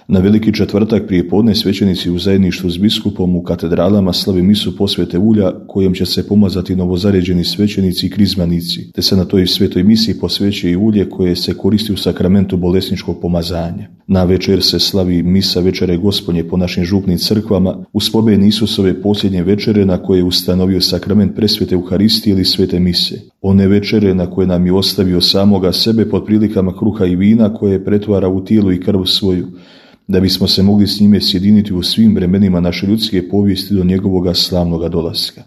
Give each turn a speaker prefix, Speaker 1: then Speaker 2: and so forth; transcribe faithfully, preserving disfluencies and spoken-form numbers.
Speaker 1: Na Veliki četvrtak prije podne svećenici u zajedništvu s biskupom u katedralama slave misu posvete ulja kojom će se pomazati novozaređeni svećenici i krizmanici, te se na toj svetoj misi posvećuje i ulje koje se koristi u sakramentu bolesničkog pomazanja. Na večer se slavi misa večere Gospodnje po našim župnim crkvama u spomen Isusove posljednje večere na koje je ustanovio sakrament presvete Euharistije ili svete mise. One večere na koje nam je ostavio samoga sebe pod prilikama kruha i vina koje pretvara u tijelo i krv svoju, da bismo se mogli s njime sjediniti u svim vremenima naše ljudske povijesti do njegovoga slavnoga dolaska.